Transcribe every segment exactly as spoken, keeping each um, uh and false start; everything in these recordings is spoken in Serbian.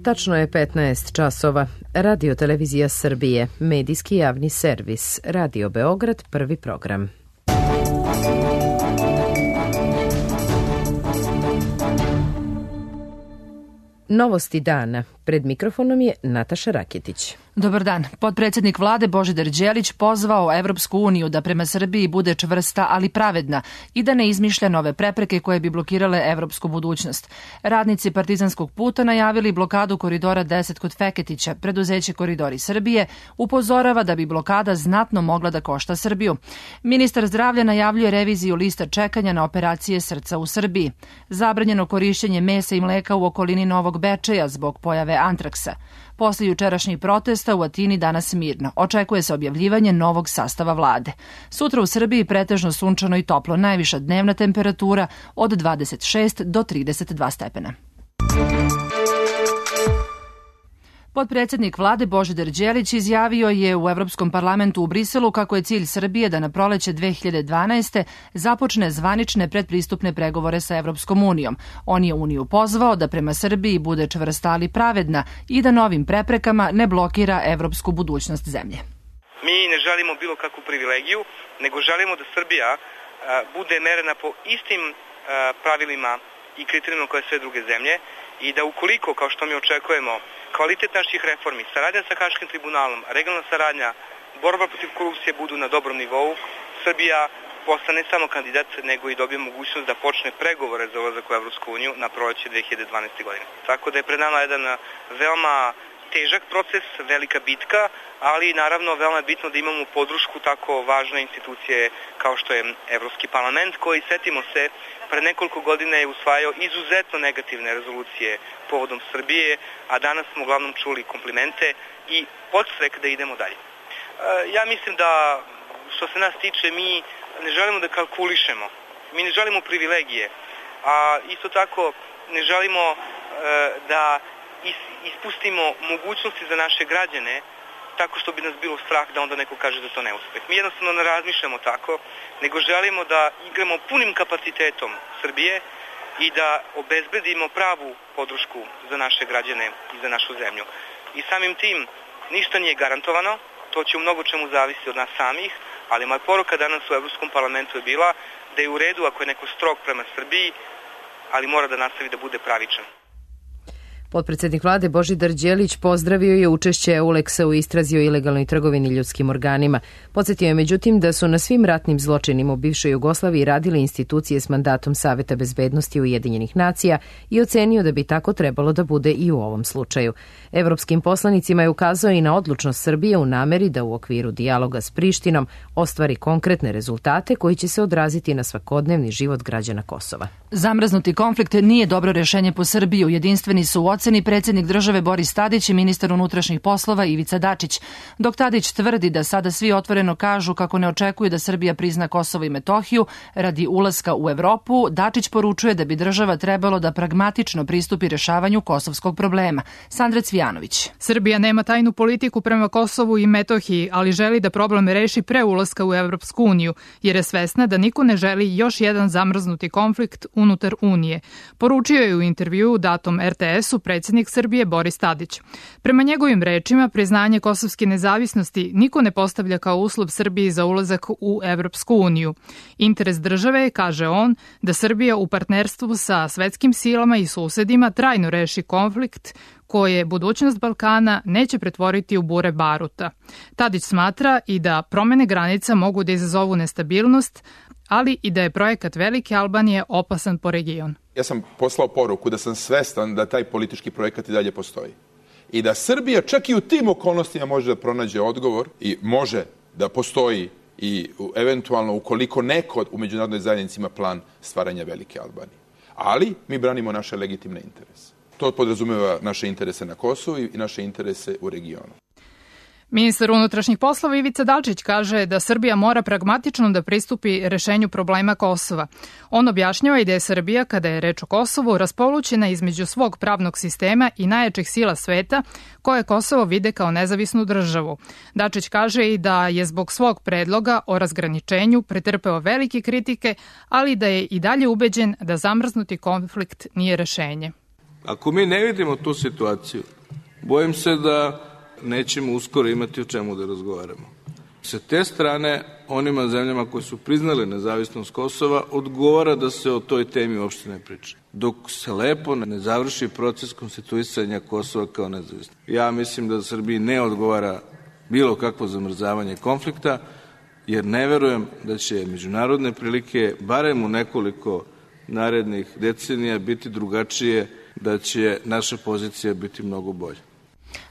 Tačno je petnaest časova. Radio Televizija Srbije, medijski javni servis, Radio Beograd, prvi program. Novosti dana. Pred mikrofonom je Nataša Raketić. Dobar dan. Potpredsjednik vlade Božidar Đelić pozvao Evropsku uniju da prema Srbiji bude čvrsta, ali pravedna i da ne izmišlja nove prepreke koje bi blokirale evropsku budućnost. Radnici Partizanskog puta najavili blokadu koridora deset kod Feketića. Preduzeće Koridori Srbije upozorava da bi blokada znatno mogla da košta Srbiju. Ministar zdravlja najavljuje reviziju lista čekanja na operacije srca u Srbiji. Zabranjeno korišćenje mesa i mleka u okolini Novog Bečeja zbog pojave antraksa. Posle jučerašnjih protesta u Atini danas mirno. Očekuje se objavljivanje novog sastava vlade. Sutra u Srbiji pretežno sunčano i toplo, najviša dnevna temperatura od dvadeset šest do trideset dva stepena. Potpredsjednik vlade Božidar Đelić izjavio je u Evropskom parlamentu u Briselu kako je cilj Srbije da na proleće dve hiljade dvanaeste. započne zvanične predpristupne pregovore sa Evropskom unijom. On je uniju pozvao da prema Srbiji bude čvrsta ali pravedna i da novim preprekama ne blokira evropsku budućnost zemlje. Mi ne želimo bilo kakvu privilegiju, nego želimo da Srbija a, bude merena po istim a, pravilima i kriterijima koje sve druge zemlje i da ukoliko, kao što mi očekujemo, kvalitet naših reformi, saradnja sa Haškim tribunalom, regionalna saradnja, borba protiv korupcije budu na dobrom nivou, Srbija postane ne samo kandidat, nego i dobije mogućnost da počne pregovore za ulazak u Evropsku uniju na proleće dve hiljade dvanaeste. godine. Tako da je pred nama jedan veoma težak proces, velika bitka, ali naravno veoma je bitno da imamo podršku tako važne institucije kao što je Evropski parlament, koji, setimo se, pre nekoliko godina je usvajao izuzetno negativne rezolucije povodom Srbije, a danas smo uglavnom čuli komplimente i podstrek da idemo dalje. Ja mislim da, što se nas tiče, mi ne želimo da kalkulišemo, mi ne želimo privilegije, a isto tako ne želimo da ispustimo mogućnosti za naše građane tako što bi nas bilo strah da onda neko kaže da to ne uspeh. Mi jednostavno ne razmišljamo tako, nego želimo da igramo punim kapacitetom Srbije i da obezbedimo pravu podršku za naše građane i za našu zemlju. I samim tim ništa nije garantovano, to će u mnogo čemu zavisiti od nas samih, ali moja poruka danas u Evropskom parlamentu je bila da je u redu ako je neko strog prema Srbiji, ali mora da nastavi da bude pravičan. Potpredsjednik vlade Božidar Đelić pozdravio je učešće Euleksa u istrazi o ilegalnoj trgovini ljudskim organima. Podsjetio je međutim da su na svim ratnim zločinima u bivšoj Jugoslaviji radile institucije s mandatom Saveta bezbednosti Ujedinjenih nacija i ocenio da bi tako trebalo da bude i u ovom slučaju. Evropskim poslanicima je ukazao i na odlučnost Srbije u nameri da u okviru dijaloga s Prištinom ostvari konkretne rezultate koji će se odraziti na svakodnevni život građana Kosova. Zamrznuti konflikt nije dobro rešenje po Srbiju. Jedinstveni su u oceni predsjednik države Boris Tadić i ministar unutrašnjih poslova Ivica Dačić. Dok Tadić tvrdi da sada svi otvoreno kažu kako ne očekuju da Srbija prizna Kosovo i Metohiju radi ulaska u Evropu, Dačić poručuje da bi država trebalo da pragmatično pristupi rešavanju kosovskog problema. Sandra Cvijanović. Srbija nema tajnu politiku prema Kosovu i Metohiji, ali želi da problem reši pre ulaska u Evropsku uniju, jer je svesna da niko ne želi još jedan zamrznuti konflikt unutar Unije. Poručio je u intervjuu datom er te esu predsjednik Srbije Boris Tadić. Prema njegovim rečima, priznanje kosovske nezavisnosti niko ne postavlja kao uslov Srbiji za ulazak u Evropsku uniju. Interes države je, kaže on, da Srbija u partnerstvu sa svetskim silama i susedima trajno reši konflikt koje budućnost Balkana neće pretvoriti u bure baruta. Tadić smatra i da promene granica mogu da izazovu nestabilnost, ali i da je projekat Velike Albanije opasan po region. Ja sam poslao poruku da sam svestan da taj politički projekat i dalje postoji. I da Srbija čak i u tim okolnostima može da pronađe odgovor i može da postoji i eventualno ukoliko neko u međunarodnoj zajednici ima plan stvaranja Velike Albanije. Ali mi branimo naše legitimne interese. To podrazumeva naše interese na Kosovu i naše interese u regionu. Ministar unutrašnjih poslova Ivica Dačić kaže da Srbija mora pragmatično da pristupi rešenju problema Kosova. On objašnjava i da je Srbija, kada je reč o Kosovu, raspolućena između svog pravnog sistema i najjačih sila sveta, koje Kosovo vide kao nezavisnu državu. Dačić kaže i da je zbog svog predloga o razgraničenju pretrpeo velike kritike, ali da je i dalje ubeđen da zamrznuti konflikt nije rešenje. Ako mi ne vidimo tu situaciju, bojim se da nećemo uskoro imati o čemu da razgovaramo. Sa te strane, onima zemljama koji su priznali nezavisnost Kosova, odgovara da se o toj temi uopšte ne priča. Dok se lepo ne završi proces konstituisanja Kosova kao nezavisno. Ja mislim da Srbiji ne odgovara bilo kakvo zamrzavanje konflikta, jer ne verujem da će međunarodne prilike, barem u nekoliko narednih decenija, biti drugačije, da će naša pozicija biti mnogo bolja,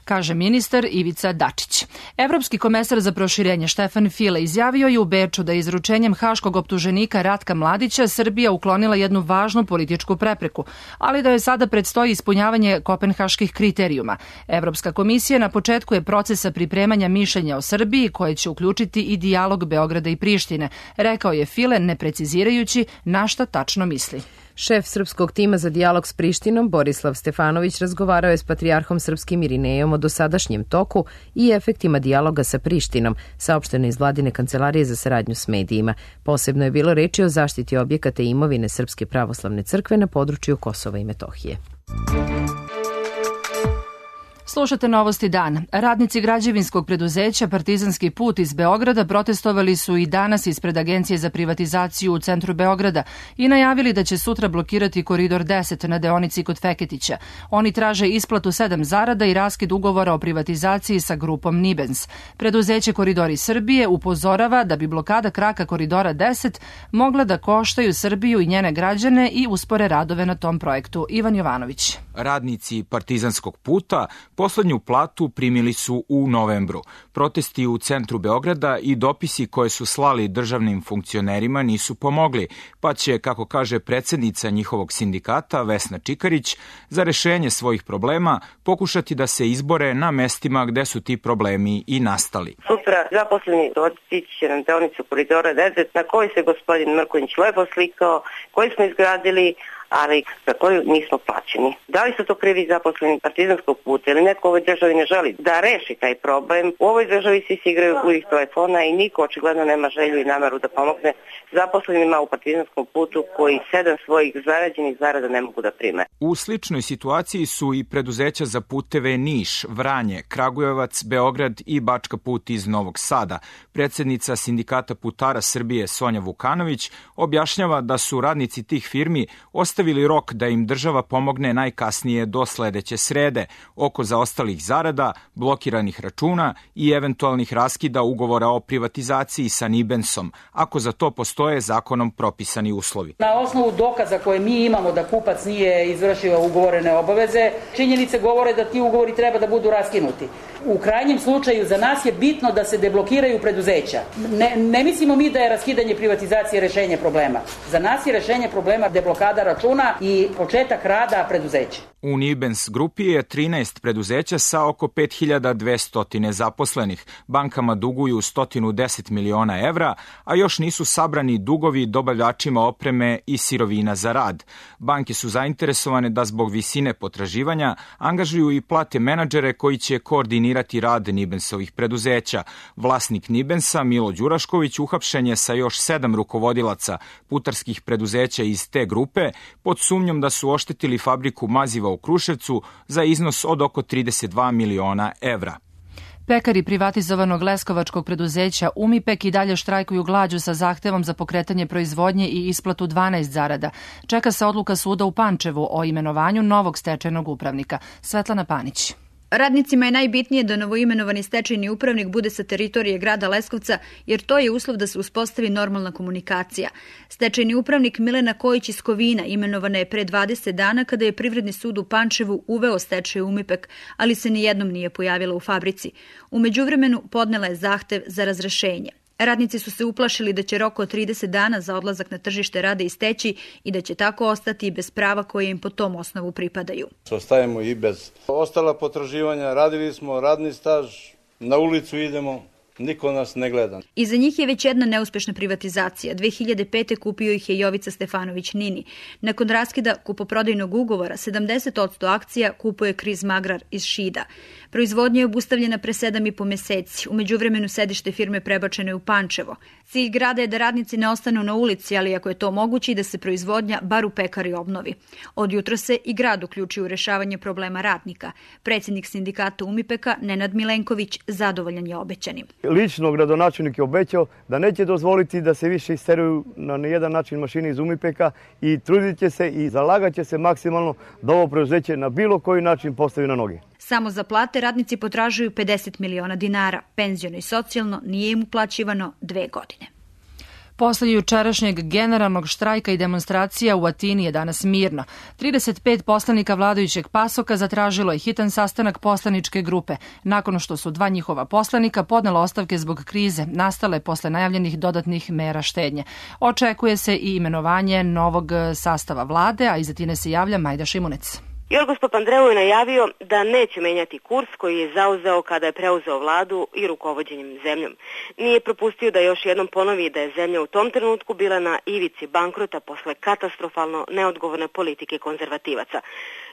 kaže ministar Ivica Dačić. Evropski komesar za proširenje Štefan File izjavio je u Beču da je izručenjem haškog optuženika Ratka Mladića Srbija uklonila jednu važnu političku prepreku, ali da joj sada predstoji ispunjavanje kopenhaških kriterijuma. Evropska komisija na početku je procesa pripremanja mišljenja o Srbiji koje će uključiti i dijalog Beograda i Prištine, rekao je File ne precizirajući na šta tačno misli. Šef srpskog tima za dijalog s Prištinom, Borislav Stefanović, razgovarao je s patrijarhom srpskim Irinejom o dosadašnjem toku i efektima dijaloga sa Prištinom, saopšteno iz vladine kancelarije za saradnju s medijima. Posebno je bilo reči o zaštiti objekata i imovine Srpske pravoslavne crkve na području Kosova i Metohije. Slušate Novosti dan. Radnici građevinskog preduzeća Partizanski put iz Beograda protestovali su i danas ispred Agencije za privatizaciju u centru Beograda i najavili da će sutra blokirati Koridor deset na deonici kod Feketića. Oni traže isplatu sedam zarada i raskid ugovora o privatizaciji sa grupom Nibens. Preduzeće Koridori Srbije upozorava da bi blokada kraka Koridora deset mogla da koštaju Srbiju i njene građane i uspore radove na tom projektu. Ivan Jovanović. Radnici Partizanskog puta poslednju platu primili su u novembru. Protesti u centru Beograda i dopisi koje su slali državnim funkcionerima nisu pomogli, pa će, kako kaže predsednica njihovog sindikata Vesna Čikarić, za rešenje svojih problema pokušati da se izbore na mestima gde su ti problemi i nastali. Sutra zaposleni otići će na deonicu Koridora deset na koji se gospodin Mrkonjić lepo slikao, koji smo izgradili, ali za koju nismo plaćeni. Da li su to krivi zaposleni Partizanskog puta ili neko u ovoj državi ne želi da reši taj problem? U ovoj državi svi se igraju u ih telefona i niko očigledno nema želju i nameru da pomogne zaposlenima u Partizanskom putu koji sedam svojih zarađenih zarada ne mogu da prime. U sličnoj situaciji su i preduzeća za puteve Niš, Vranje, Kragujevac, Beograd i Bačka put iz Novog Sada. Predsednica Sindikata putara Srbije Sonja Vukanović objašnjava da su radnici tih firmi ostavili rok da im država pomogne najkasnije do sledeće srede oko zaostalih zarada, blokiranih računa i eventualnih raskida ugovora o privatizaciji sa Nibensom, ako za to postoje zakonom propisani uslovi. Na osnovu dokaza koje mi imamo da kupac nije izvršio ugovorene obaveze, činjenice govore da ti ugovori treba da budu raskinuti. U krajnjem slučaju za nas je bitno da se deblokiraju preduzeća. Ne, ne mislimo mi da je raskidanje privatizacije rešenje problema. Za nas je rešenje problema deblokada računa i početak rada preduzeća. U Nibens grupi je trinaest preduzeća sa oko pet hiljada dvesta zaposlenih. Bankama duguju sto deset miliona evra, a još nisu sabrani dugovi dobavljačima opreme i sirovina za rad. Banke su zainteresovane da zbog visine potraživanja angažuju i plate menadžere koji će koordinirati rad Nibensovih preduzeća. Vlasnik Nibensa, Milo Đurašković, uhapšen je sa još sedam rukovodilaca putarskih preduzeća iz te grupe pod sumnjom da su oštetili fabriku maziva u Kruševcu za iznos od oko trideset dva miliona evra. Pekari privatizovanog leskovačkog preduzeća Umipek i dalje štrajkuju glađu sa zahtevom za pokretanje proizvodnje i isplatu dvanaest zarada. Čeka se odluka suda u Pančevu o imenovanju novog stečajnog upravnika. Svetlana Panić. Radnicima je najbitnije da novoimenovani stečajni upravnik bude sa teritorije grada Leskovca, jer to je uslov da se uspostavi normalna komunikacija. Stečajni upravnik Milena Kojić iz Kovina imenovana je pre dvadeset dana kada je Privredni sud u Pančevu uveo stečaj Umipek, ali se nijednom nije pojavila u fabrici. U međuvremenu podnela je zahtev za razrešenje. Radnici su se uplašili da će rok od trideset dana za odlazak na tržište rada isteći i da će tako ostati bez prava koje im po tom osnovu pripadaju. Ostajemo i bez ostala potraživanja, radili smo radni staž, na ulicu idemo, Niko nas ne gleda. Iza njih je već jedna neuspešna privatizacija. dve hiljade pete. kupio ih je Jovica Stefanović Nini. Nakon raskida kupoprodajnog ugovora, sedamdeset posto akcija kupuje Kriz Magrar iz Šida. Proizvodnja je obustavljena pre sedam i po meseci. U međuvremenu sedište firme prebačeno je u Pančevo. Cilj grada je da radnici ne ostanu na ulici, ali ako je to moguće i da se proizvodnja bar u pekari obnovi. Od jutra se i grad uključio u rešavanje problema radnika. Predsjednik sindikata Umipeka, Nenad Milenković, zadovoljan je obećanim. Lično gradonačelnik je obećao da neće dozvoliti da se više isteruju na nijedan način mašine iz Umipeka i trudit će se i zalagat će se maksimalno da ovo preduzeće na bilo koji način postavi na noge. Samo za plate radnici potražuju pedeset miliona dinara. Penziono i socijalno nije im uplaćivano dve godine. Posle jučerašnjeg generalnog štrajka i demonstracija u Atini je danas mirno. trideset pet poslanika vladajućeg pasoka zatražilo je hitan sastanak poslaničke grupe, nakon što su dva njihova poslanika podnela ostavke zbog krize, nastale posle najavljenih dodatnih mera štednje. Očekuje se i imenovanje novog sastava vlade, a iz Atine se javlja Majda Šimunec. Jorgos Papandreou je najavio da neće menjati kurs koji je zauzeo kada je preuzeo vladu i rukovođenjem zemljom. Nije propustio da još jednom ponovi da je zemlja u tom trenutku bila na ivici bankrota posle katastrofalno neodgovorne politike konzervativaca.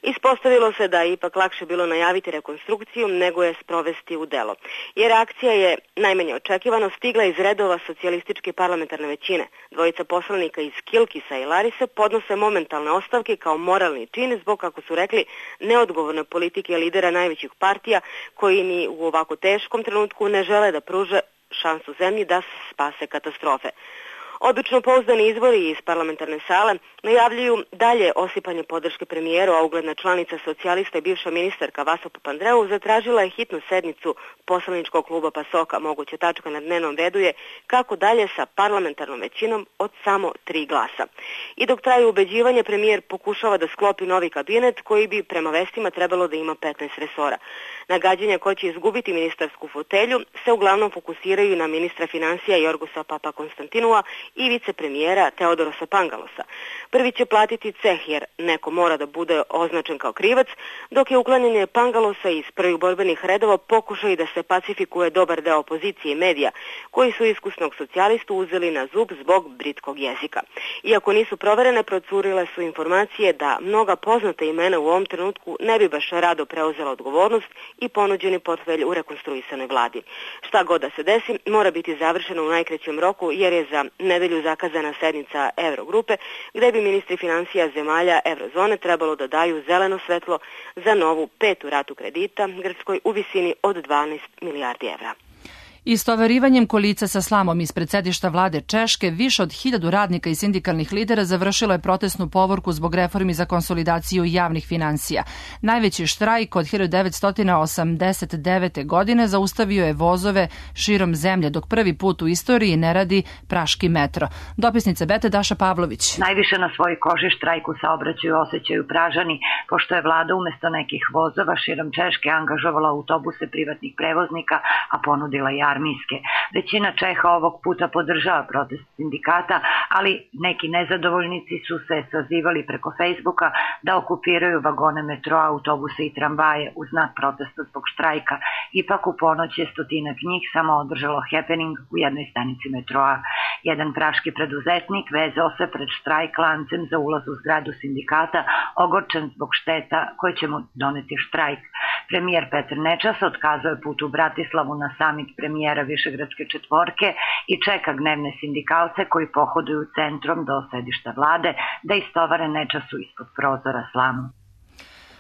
Ispostavilo se da je ipak lakše bilo najaviti rekonstrukciju nego je sprovesti u delo. Jer akcija je najmanje očekivano stigla iz redova socijalističke parlamentarne većine. Dvojica poslanika iz Kilkisa i Larise podnose momentalne ostavke kao moralni čin zbog, kako su rekli, neodgovorne politike lidera najvećih partija koji ni u ovako teškom trenutku ne žele da pruže šansu zemlji da se spase katastrofe. Odlično pouzdani izvori iz parlamentarne sale najavljuju dalje osipanje podrške premijeru, a ugledna članica socijalista i bivša ministarka Vaso Papandreou zatražila je hitnu sednicu poslaničkog kluba Pasoka. Moguća tačka na dnevnom redu je kako dalje sa parlamentarnom većinom od samo tri glasa. I dok traju ubeđivanje, premijer pokušava da sklopi novi kabinet koji bi prema vestima trebalo da ima petnaest resora. Nagađanja ko će izgubiti ministarsku fotelju se uglavnom fokusiraju na ministra financija Jorgosa Papakonstantinua i vicepremijera Teodorosa Pangalosa. Prvi će platiti ceh jer neko mora da bude označen kao krivac, dok je uklanjanje Pangalosa iz prvih borbenih redova pokušaj da se pacifikuje dobar deo opozicije i medija, koji su iskusnog socijalistu uzeli na zub zbog britkog jezika. Iako nisu proverene, procurile su informacije da mnoga poznata imena u ovom trenutku ne bi baš rado preuzela odgovornost i ponuđeni portfelj u rekonstruisanoj vladi. Šta god da se desi, mora biti završeno u najkraćem roku jer je za nedelju zakazana sednica Eurogrupe, gde bi ministri financija zemalja Eurozone trebalo da daju zeleno svetlo za novu petu ratu kredita Grčkoj u visini od dvanaest milijardi evra. Istovarivanjem kolica sa slamom ispred sedišta vlade Češke, više od hiljadu radnika i sindikalnih lidera završilo je protestnu povorku zbog reformi za konsolidaciju javnih finansija. Najveći štrajk od hiljadu devetsto osamdeset devete. godine zaustavio je vozove širom zemlje, dok prvi put u istoriji ne radi praški metro. Dopisnica Bete Daša Pavlović. Najviše na svojoj koži štrajku saobraćaju osjećaju Pražani, pošto je vlada umesto nekih vozova širom Češke angažovala autobuse privatnih prevoznika, a ponudila ja armijske. Većina Čeha ovog puta podržava protest sindikata, ali neki nezadovoljnici su se sazivali preko Facebooka da okupiraju vagone metroa, autobuse i tramvaje u znak protesta zbog štrajka. Ipak u ponoć je stotinak njih samo održalo happening u jednoj stanici metroa. Jedan praški preduzetnik vezao se pred štrajk lancem za ulaz u zgradu sindikata, ogorčen zbog šteta koje će mu doneti štrajk. Premijer Petar Nečas otkazao je put u Bratislavu na samit premijera Višegradske četvorke i čeka gnevne sindikalce koji pohoduju centrom do sedišta vlade da istovare Nečasu ispod prozora slamu.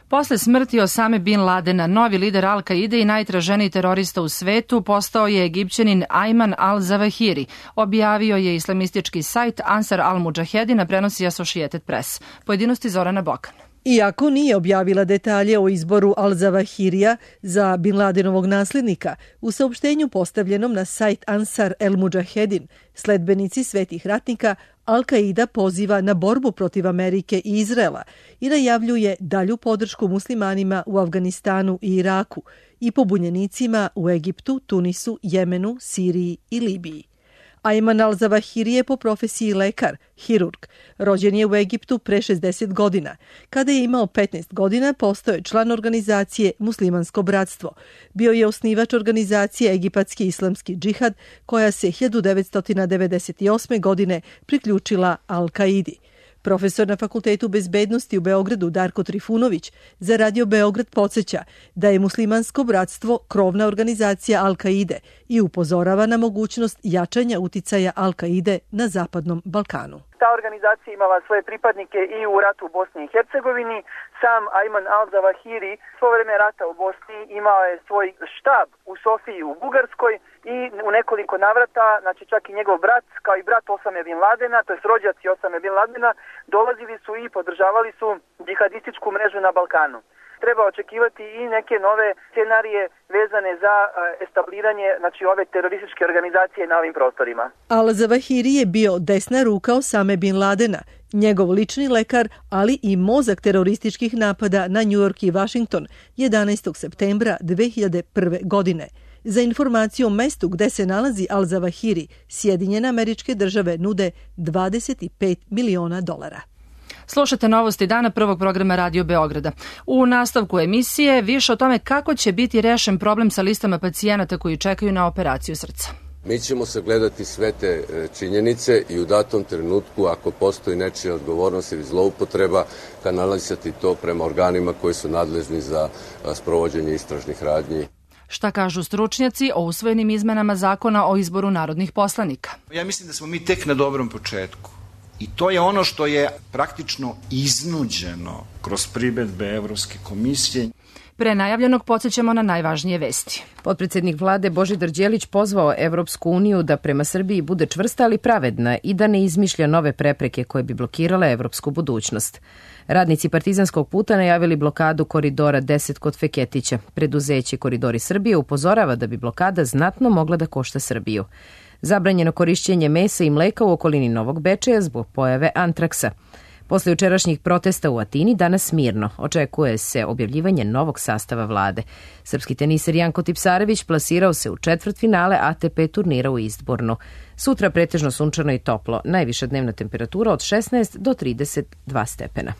Posle smrti Osame Bin Ladena, novi lider Al-Kaide i najtraženiji terorista u svetu postao je Egipćanin Ayman al-Zawahiri. Objavio je islamistički sajt Ansar al-Mujahedin, prenosi Associated Press. Pojedinosti Zorana Bokan. Iako nije objavila detalje o izboru al-Zawahirija za Bin Ladenovog nasljednika, u saopštenju postavljenom na sajt Ansar el-Mujahedin, sledbenici svetih ratnika Al-Qaida poziva na borbu protiv Amerike i Izraela i najavljuje dalju podršku muslimanima u Afganistanu i Iraku i pobunjenicima u Egiptu, Tunisu, Jemenu, Siriji i Libiji. Ayman al-Zawahiri je po profesiji lekar, hirurg. Rođen je u Egiptu pre šezdeset godina. Kada je imao petnaest godina, postao je član organizacije Muslimansko bratstvo. Bio je osnivač organizacije Egipatski islamski džihad, koja se hiljadu devetsto devedeset osme. godine priključila Al-Kaidi. Profesor na Fakultetu bezbednosti u Beogradu Darko Trifunović za Radio Beograd podsjeća da je Muslimansko bratstvo krovna organizacija Al-Kaide i upozorava na mogućnost jačanja uticaja Al-Kaide na Zapadnom Balkanu. Ta organizacija imala svoje pripadnike i u ratu u Bosni i Hercegovini. Sam Ayman al-Zawahiri svo vreme rata u Bosni imao je svoj štab u Sofiji u Bugarskoj i u nekoliko navrata, znači čak i njegov brat, kao i brat Osame bin Ladena, to je rođaci Osame bin Ladena, dolazili su i podržavali su džihadističku mrežu na Balkanu. Treba očekivati i neke nove scenarije vezane za establiranje, znači, ove terorističke organizacije na ovim prostorima. Al-Zawahiri je bio desna ruka Osame bin Ladena, njegov lični lekar, ali i mozak terorističkih napada na New York i Washington jedanaestog septembra dve hiljade prve. godine. Za informaciju o mestu gde se nalazi Al-Zawahiri, Sjedinjene Američke Države nude dvadeset pet miliona dolara. Slušate novosti dana prvog programa Radio Beograda. U nastavku emisije više o tome kako će biti rešen problem sa listama pacijenata koji čekaju na operaciju srca. Mi ćemo sagledati sve te činjenice i u datom trenutku, ako postoji nečija odgovornost ili zloupotreba, kanalisati to prema organima koji su nadležni za sprovođenje istražnih radnji. Šta kažu stručnjaci o usvojenim izmenama zakona o izboru narodnih poslanika? Ja mislim da smo mi tek na dobrom početku. I to je ono što je praktično iznuđeno kroz primedbe Evropske komisije. Pre najavljenog podsjećamo na najvažnije vesti. Potpredsednik vlade Božidar Đelić pozvao Evropsku uniju da prema Srbiji bude čvrsta ali pravedna i da ne izmišlja nove prepreke koje bi blokirale evropsku budućnost. Radnici Partizanskog puta najavili blokadu koridora deset kod Feketića. Preduzeće Koridori Srbije upozorava da bi blokada znatno mogla da košta Srbiju. Zabranjeno korišćenje mesa i mleka u okolini Novog Bečeja zbog pojave antraksa. Posle jučerašnjih protesta u Atini danas mirno. Očekuje se objavljivanje novog sastava vlade. Srpski teniser Janko Tipsarević plasirao se u četvrtfinale A T P turnira u Istbornu. Sutra pretežno sunčano i toplo. Najviša dnevna temperatura od šesnaest do trideset dva stepena.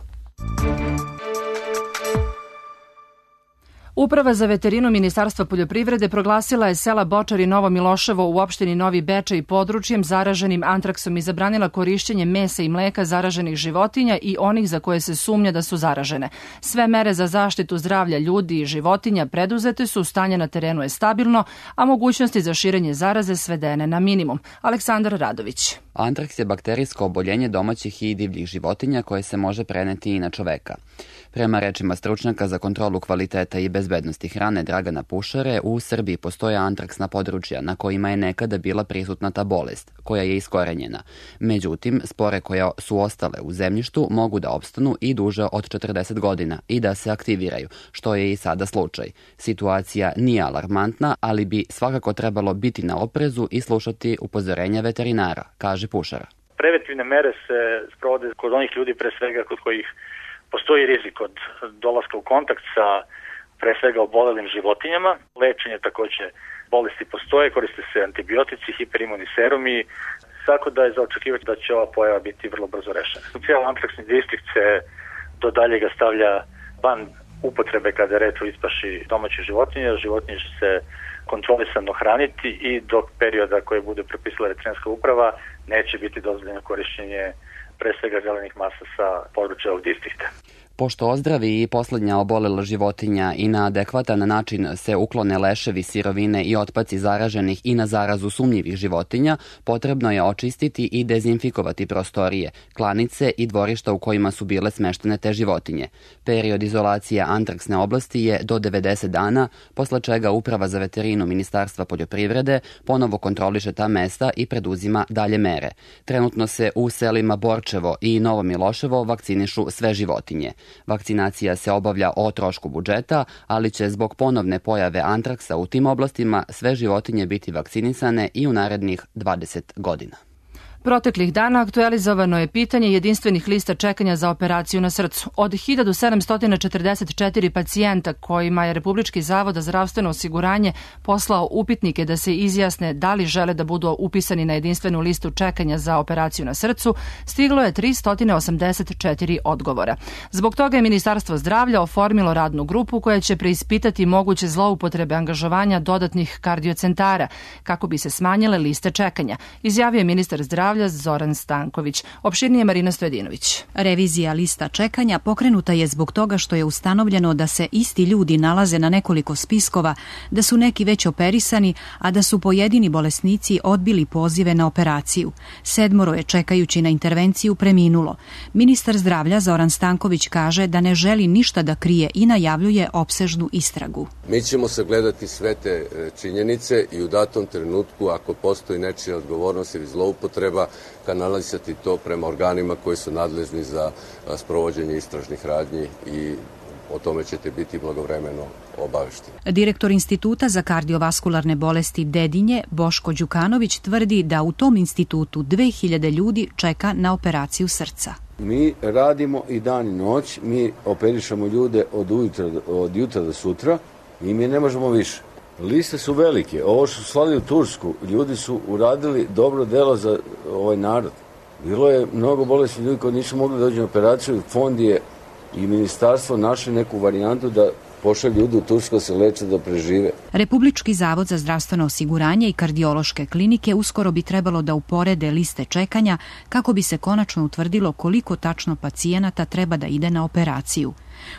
Uprava za veterinu Ministarstva poljoprivrede proglasila je sela Bočar i Novo Miloševo u opštini Novi Bečej područjem zaraženim antraksom i zabranila korišćenje mesa i mleka zaraženih životinja i onih za koje se sumnja da su zaražene. Sve mere za zaštitu zdravlja ljudi i životinja preduzete su, stanje na terenu je stabilno, a mogućnosti za širenje zaraze svedene na minimum. Aleksandar Radović. Antraks je bakterijsko oboljenje domaćih i divljih životinja koje se može preneti i na čoveka. Prema rečima stručnjaka za kontrolu kvaliteta i bezbednosti hrane Dragana Pušare, u Srbiji postoje antraksna područja na kojima je nekada bila prisutna ta bolest, koja je iskorenjena. Međutim, spore koje su ostale u zemljištu mogu da opstanu i duže od četrdeset godina i da se aktiviraju, što je i sada slučaj. Situacija nije alarmantna, ali bi svakako trebalo biti na oprezu i slušati upozorenja veterinara, kaže Pušara. Preventivne mere se sprovode kod onih ljudi, pre svega kod kojih postoji rizik od dolaska u kontakt sa pre svega obolelim životinjama. Lečenje takođe bolesti postoje, koriste se antibiotici, hiperimunni serumi, tako da je za očekivati da će ova pojava biti vrlo brzo rešena. Cijel antraksni distrikt se do daljega stavlja van upotrebe kada je reč o ispaši domaćih životinja. Životinje će se kontrolisano hraniti i dok perioda koje bude propisala veterinarska uprava neće biti dozvoljeno korišćenje pre svega zelenih masa sa područja ovog distrikta. Pošto ozdravi i poslednja obolela životinja i na adekvatan način se uklone leševi, sirovine i otpaci zaraženih i na zarazu sumnjivih životinja, potrebno je očistiti i dezinfikovati prostorije, klanice i dvorišta u kojima su bile smeštene te životinje. Period izolacije antraksne oblasti je do devedeset dana, posle čega Uprava za veterinu Ministarstva poljoprivrede ponovo kontroliše ta mesta i preduzima dalje mere. Trenutno se u selima Borčevo i Novo Miloševo vakcinišu sve životinje. Vakcinacija se obavlja o trošku budžeta, ali će zbog ponovne pojave antraksa u tim oblastima sve životinje biti vakcinisane i u narednih dvadeset godina. Proteklih dana aktualizovano je pitanje jedinstvenih lista čekanja za operaciju na srcu. Od hiljadu sedamsto četrdeset četiri pacijenta kojima je Republički zavod za zdravstveno osiguranje poslao upitnike da se izjasne da li žele da budu upisani na jedinstvenu listu čekanja za operaciju na srcu, stiglo je tristo osamdeset četiri odgovora. Zbog toga je Ministarstvo zdravlja oformilo radnu grupu koja će preispitati moguće zloupotrebe angažovanja dodatnih kardiocentara kako bi se smanjile liste čekanja, izjavio je ministar zdravlja Zoran Stanković. Opširnije Marina Stojedinović. Revizija lista čekanja pokrenuta je zbog toga što je ustanovljeno da se isti ljudi nalaze na nekoliko spiskova, da su neki već operisani, a da su pojedini bolesnici odbili pozive na operaciju. Sedmoro je čekajući na intervenciju preminulo. Ministar zdravlja Zoran Stanković kaže da ne želi ništa da krije i najavljuje opsežnu istragu. Mi ćemo sagledati sve te činjenice i u datom trenutku, ako postoji nečija odgovornost ili zloupotreba, kanalisati to prema organima koji su nadležni za sprovođenje istražnih radnji i o tome ćete biti blagovremeno obavešteni. Direktor Instituta za kardiovaskularne bolesti Dedinje, Boško Đukanović, tvrdi da u tom institutu dve hiljade ljudi čeka na operaciju srca. Mi radimo i dan i noć, mi operišemo ljude od, ujutra, od jutra do sutra i mi ne možemo više. Liste su velike. Ovo što su slali u Tursku, ljudi su uradili dobro delo za ovaj narod. Bilo je mnogo bolesnih ljudi koji nisu mogli doći na operaciju. Fond je i ministarstvo našli neku varijantu da pošalju ljudi u Tursku da se leče, da prežive. Republički zavod za zdravstveno osiguranje i kardiološke klinike uskoro bi trebalo da uporede liste čekanja kako bi se konačno utvrdilo koliko tačno pacijenata treba da ide na operaciju.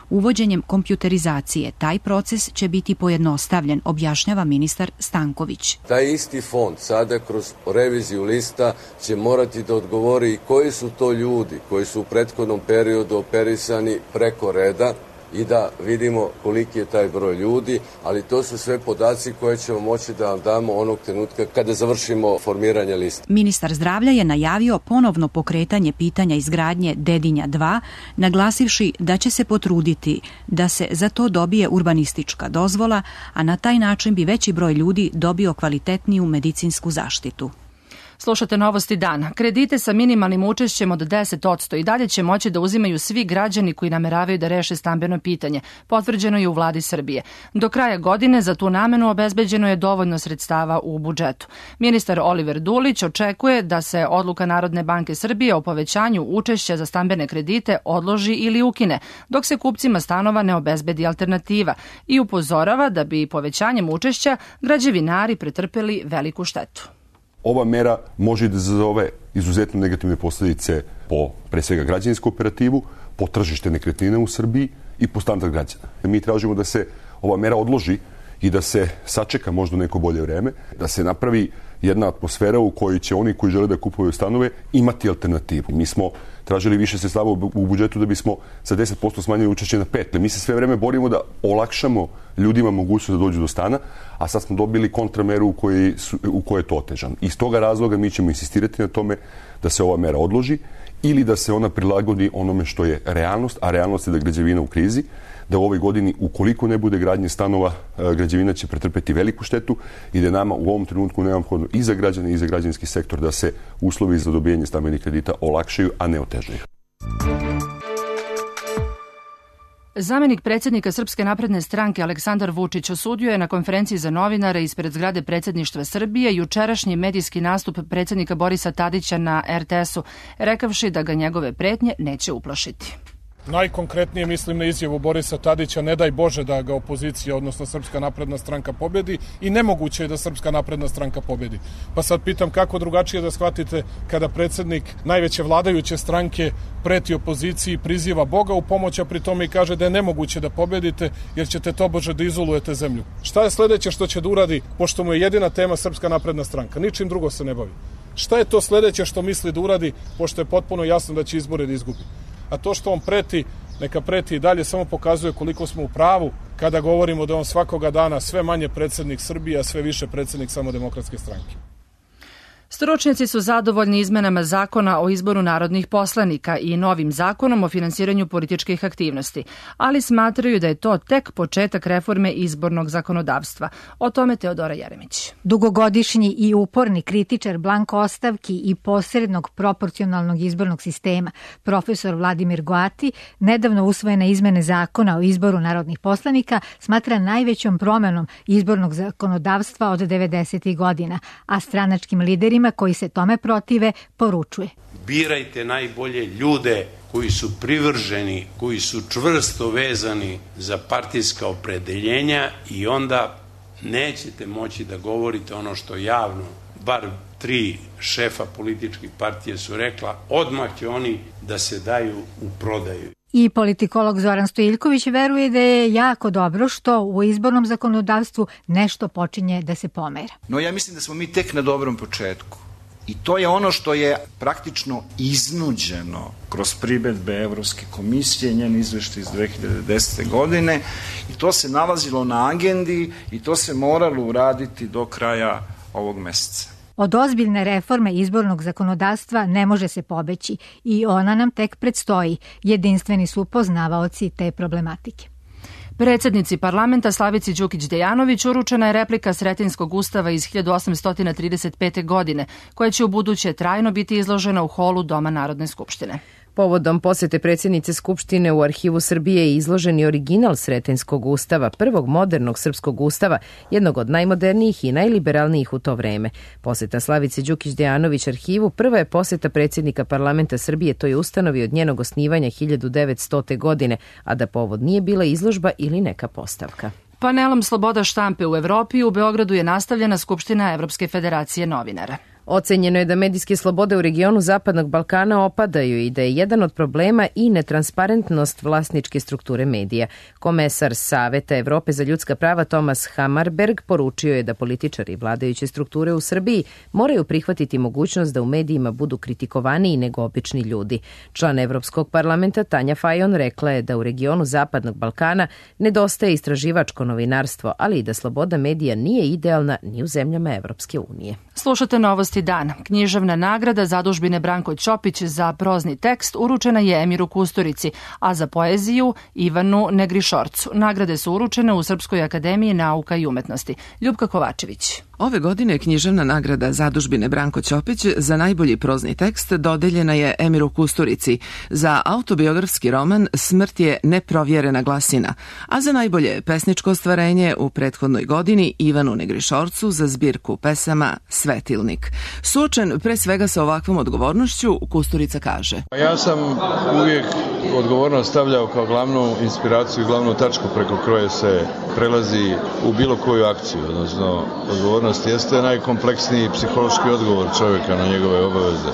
Uvođenjem kompjuterizacije taj proces će biti pojednostavljen, objašnjava ministar Stanković. Taj isti fond sada kroz reviziju lista će morati da odgovori koji su to ljudi koji su u prethodnom periodu operisani preko reda i da vidimo koliki je taj broj ljudi, ali to su sve podaci koje ćemo moći da vam damo onog trenutka kada završimo formiranje liste. Ministar zdravlja je najavio ponovno pokretanje pitanja izgradnje Dedinja dva, naglasivši da će se potruditi da se za to dobije urbanistička dozvola, a na taj način bi veći broj ljudi dobio kvalitetniju medicinsku zaštitu. Slušate Novosti dana. Kredite sa minimalnim učešćem od deset posto i dalje će moći da uzimaju svi građani koji nameravaju da reše stambeno pitanje. Potvrđeno je u vladi Srbije. Do kraja godine za tu namenu obezbeđeno je dovoljno sredstava u budžetu. Ministar Oliver Dulić očekuje da se odluka Narodne banke Srbije o povećanju učešća za stambene kredite odloži ili ukine, dok se kupcima stanova ne obezbedi alternativa, i upozorava da bi povećanjem učešća građevinari pretrpeli veliku štetu. Ova mera može da izazove izuzetno negativne posljedice po, pre svega, građevinsku operativu, po tržište nekretnina u Srbiji i po standard građana. Mi tražimo da se ova mera odloži i da se sačeka možda neko bolje vreme, da se napravi jedna atmosfera u kojoj će oni koji žele da kupuju stanove imati alternativu. Mi smo tražili više sredstava u budžetu da bismo sa deset posto smanjili učešće na pet posto. Mi se sve vreme borimo da olakšamo ljudima mogućnost da dođu do stana, a sad smo dobili kontrameru u kojoj, su, u kojoj je to otežano. Iz toga razloga mi ćemo insistirati na tome da se ova mera odloži ili da se ona prilagodi onome što je realnost, a realnost je da građevina u krizi, da u ovoj godini, ukoliko ne bude gradnje stanova, građevina će pretrpeti veliku štetu i da je nama u ovom trenutku neophodno i za građane i za građanski sektor da se uslovi za dobijanje stambenih kredita olakšaju, a ne otežaju. Zamenik predsjednika Srpske napredne stranke Aleksandar Vučić osudio je na konferenciji za novinare ispred zgrade predsjedništva Srbije jučerašnji medijski nastup predsjednika Borisa Tadića na er te esu, rekavši da ga njegove pretnje neće uplašiti. Najkonkretnije mislim na izjavu Borisa Tadića, ne daj Bože da ga opozicija, odnosno Srpska napredna stranka pobedi, i nemoguće je da Srpska napredna stranka pobedi. Pa sad pitam kako drugačije da shvatite kada predsjednik najveće vladajuće stranke preti opoziciji, priziva Boga u pomoć, a pri tome i kaže da je nemoguće da pobedite jer ćete tobože da izolujete zemlju. Šta je sledeće što će da uradi, pošto mu je jedina tema Srpska napredna stranka? Ničim drugo se ne bavi. Šta je to sledeće što misli da uradi, pošto je potpuno jasno da će izbore da izgubi? A to što on preti, neka preti i dalje, samo pokazuje koliko smo u pravu kada govorimo da on svakoga dana sve manje predsjednik Srbije, a sve više predsjednik Samodemokratske stranke. Stručnjaci su zadovoljni izmenama zakona o izboru narodnih poslanika i novim zakonom o finansiranju političkih aktivnosti, ali smatraju da je to tek početak reforme izbornog zakonodavstva. O tome Teodora Jeremić. Dugogodišnji i uporni kritičar blanko ostavki i posrednog proporcionalnog izbornog sistema, profesor Vladimir Goati, nedavno usvojene izmene zakona o izboru narodnih poslanika smatra najvećom promenom izbornog zakonodavstva od devedesetih godina, a stranačkim liderima koji se tome protive poručuje: birajte najbolje ljude koji su privrženi, koji su čvrsto vezani za partijska opredeljenja i onda nećete moći da govorite ono što javno, bar tri šefa političkih partije su rekla, odmah će oni da se daju u prodaju. I politikolog Zoran Stojiljković veruje da je jako dobro što u izbornom zakonodavstvu nešto počinje da se pomera. No ja mislim da smo mi tek na dobrom početku. I to je ono što je praktično iznuđeno kroz primedbe Evropske komisije, njen izveštaj iz dve hiljade desete. godine, i to se nalazilo na agendi i to se moralo uraditi do kraja ovog meseca. Od ozbiljne reforme izbornog zakonodavstva ne može se pobeći i ona nam tek predstoji. Jedinstveni su poznavaoci te problematike. Predsednici parlamenta Slavici Đukić Dejanović uručena je replika Sretenjskog ustava iz hiljadu osamsto trideset pete. godine, koja će u buduće trajno biti izložena u holu Doma Narodne skupštine. Povodom posete predsjednice Skupštine u Arhivu Srbije je izložen i original Sretenjskog ustava, prvog modernog srpskog ustava, jednog od najmodernijih i najliberalnijih u to vreme. Poseta Slavice Đukić Dejanović arhivu prva je poseta predsjednika parlamenta Srbije toj ustanovi od njenog osnivanja hiljadu devetstote. godine, a da povod nije bila izložba ili neka postavka. Panelom Sloboda štampe u Evropi u Beogradu je nastavljena Skupština Evropske federacije novinara. Ocenjeno je da medijske slobode u regionu Zapadnog Balkana opadaju i da je jedan od problema i netransparentnost vlasničke strukture medija. Komesar Saveta Evrope za ljudska prava Tomas Hammarberg poručio je da političari vladajuće strukture u Srbiji moraju prihvatiti mogućnost da u medijima budu kritikovaniji nego obični ljudi. Član Evropskog parlamenta Tanja Fajon rekla je da u regionu Zapadnog Balkana nedostaje istraživačko novinarstvo, ali i da sloboda medija nije idealna ni u zemljama Evropske unije. Slušate Novosti dan. Književna nagrada Zadužbine Branko Ćopić za prozni tekst uručena je Emiru Kusturici, a za poeziju Ivanu Negrišorcu. Nagrade su uručene u Srpskoj akademiji nauka i umetnosti. Ljubka Kovačević. Ove godine književna nagrada Zadužbine Branko Ćopić za najbolji prozni tekst dodeljena je Emiru Kusturici. Za autobiografski roman Smrt je neprovjerena glasina, a za najbolje pesničko ostvarenje u prethodnoj godini Ivanu Negrišorcu za zbirku pesama Svetilnik. Suočen pre svega sa ovakvom odgovornošću, Kusturica kaže: Ja sam uvijek odgovornost stavljao kao glavnu inspiraciju i glavnu tačku preko koje se prelazi u bilo koju akciju, odnosno odgovornost jeste najkompleksniji psihološki odgovor čovjeka na njegove obaveze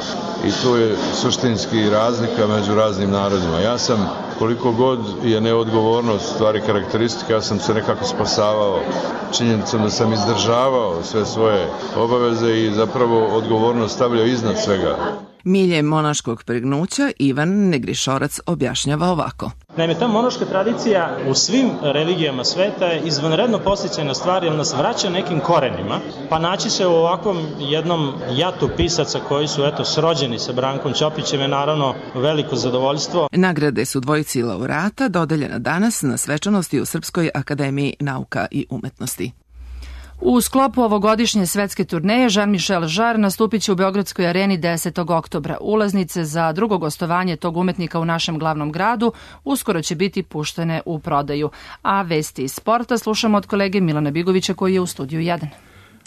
i tu je suštinski razlika među raznim narodima. Ja sam, koliko god je neodgovornost stvari karakteristika, ja sam se nekako spasavao činjenicom da sam izdržavao sve svoje obaveze i zapravo odgovornost stavljao iznad svega. Milje monaškog pregnuća Ivan Negrišorac objašnjava ovako. Naime, ta monaška tradicija u svim religijama sveta je izvanredno podsticajna stvar jer nas vraća nekim korenima, pa naći se u ovakvom jednom jatu pisaca koji su eto srođeni sa Brankom Ćopićem je naravno veliko zadovoljstvo. Nagrade su dvojici laureata dodeljena danas na svečanosti u Srpskoj akademiji nauka i umetnosti. U sklopu ovogodišnje svetske turneje Jean-Michel Jarre nastupit će u Beogradskoj areni desetog oktobra. Ulaznice za drugo gostovanje tog umetnika u našem glavnom gradu uskoro će biti puštene u prodaju. A vesti iz sporta slušamo od kolege Milana Bigovića koji je u studiju jedan.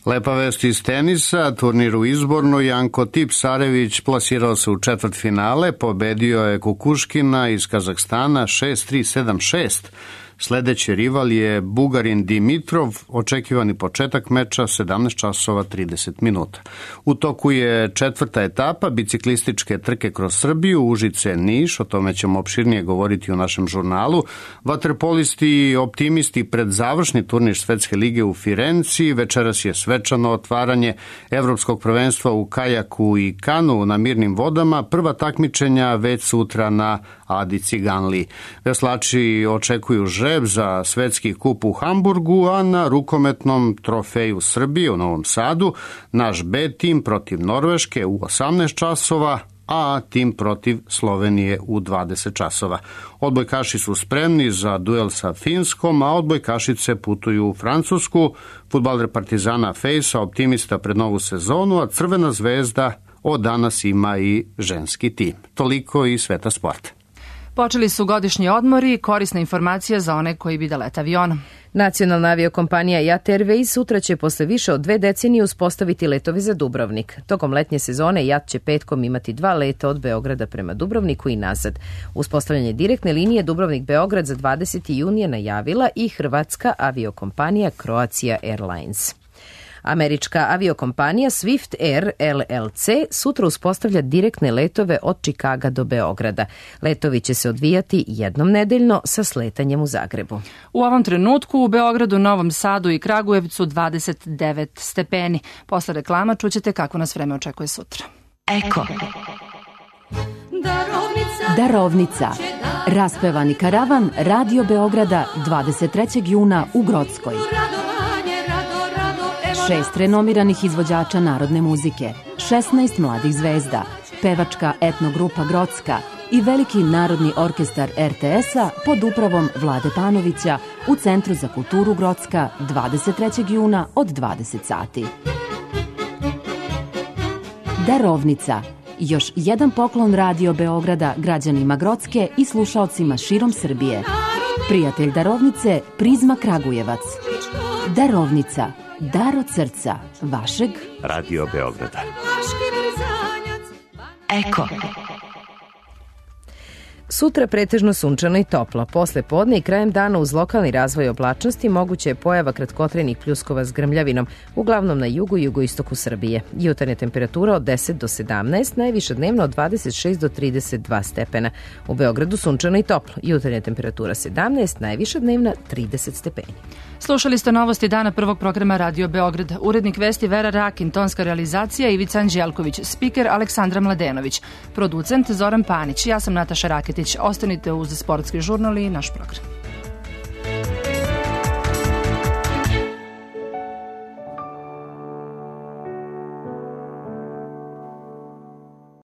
Lepa vest iz tenisa, turnir u izborno, Janko Tipsarević plasirao se u četvrtfinale, pobedio je Kukuškina iz Kazahstana šest tri sedam šest. Sledeći rival je Bugarin Dimitrov, očekivani početak meča sedamnaest časova trideset minuta. U toku je četvrta etapa biciklističke trke kroz Srbiju, Užice Niš, o tome ćemo opširnije govoriti u našem žurnalu. Vaterpolisti i optimisti pred završni turnir Svetske lige u Firenci, večeras je svečano otvaranje Evropskog prvenstva u kajaku i kanu na mirnim vodama, prva takmičenja već sutra na Adi Ciganli. Veslači očekuju žreb za svetski kup u Hamburgu, a na rukometnom trofeju Srbije u Novom Sadu naš B tim protiv Norveške u osamnaest časova, a tim protiv Slovenije u dvadeset časova. Odbojkaši su spremni za duel sa Finskom, a odbojkašice putuju u Francusku. Fudbaler Partizana Fejsa optimista pred novu sezonu, a Crvena zvezda od danas ima i ženski tim. Toliko i sveta sporta. Počeli su godišnji odmori, korisna informacija za one koji bi da lete avionom. Nacionalna aviokompanija Jat Airways sutra će posle više od dve decenije uspostaviti letove za Dubrovnik. Tokom letnje sezone Jat će petkom imati dva leta od Beograda prema Dubrovniku i nazad. Uspostavljanje direktne linije Dubrovnik-Beograd za dvadesetog junija najavila i hrvatska aviokompanija Croatia Airlines. Američka aviokompanija Swift Air L L C sutra uspostavlja direktne letove od Čikaga do Beograda. Letovi će se odvijati jednom nedeljno sa sletanjem u Zagrebu. U ovom trenutku u Beogradu, Novom Sadu i Kragujevcu dvadeset devet stepeni. Posle reklama čućete kako nas vreme očekuje sutra. Eko. Darovnica. Raspevani karavan Radio Beograda dvadeset trećeg juna u Grockoj. Šest renomiranih izvođača narodne muzike, šesnaest mladih zvezda, pevačka etnogrupa Grocka i veliki narodni orkestar R T S-a pod upravom Vlade Panovića u Centru za kulturu Grocka dvadeset trećeg juna od dvadeset sati. Darovnica. Još jedan poklon Radio Beograda građanima Grocke i slušaocima širom Srbije. Prijatelj Darovnice, Prizma Kragujevac. Darovnica. Dar od srca vašeg Radio Beograda. Eko. Sutra pretežno sunčano i toplo. Posle podne i krajem dana uz lokalni razvoj oblačnosti moguće je pojava kratkotrenih pljuskova s grmljavinom, uglavnom na jugu i jugoistoku Srbije. Jutarnja temperatura od deset do sedamnaest, najviša dnevno od dvadeset šest do trideset dva stepena. U Beogradu sunčano i toplo. Jutarnja temperatura sedamnaest, najviša dnevna trideset stepeni. Slušali ste novosti dana prvog programa Radio Beograd. Urednik vesti Vera Rakin, tonska realizacija Ivica Anđelković, spiker Aleksandra Mladenović, producent Zoran Panić. Ja sam Nataša Raketić. Ostanite uz Sportski žurnal i naš program.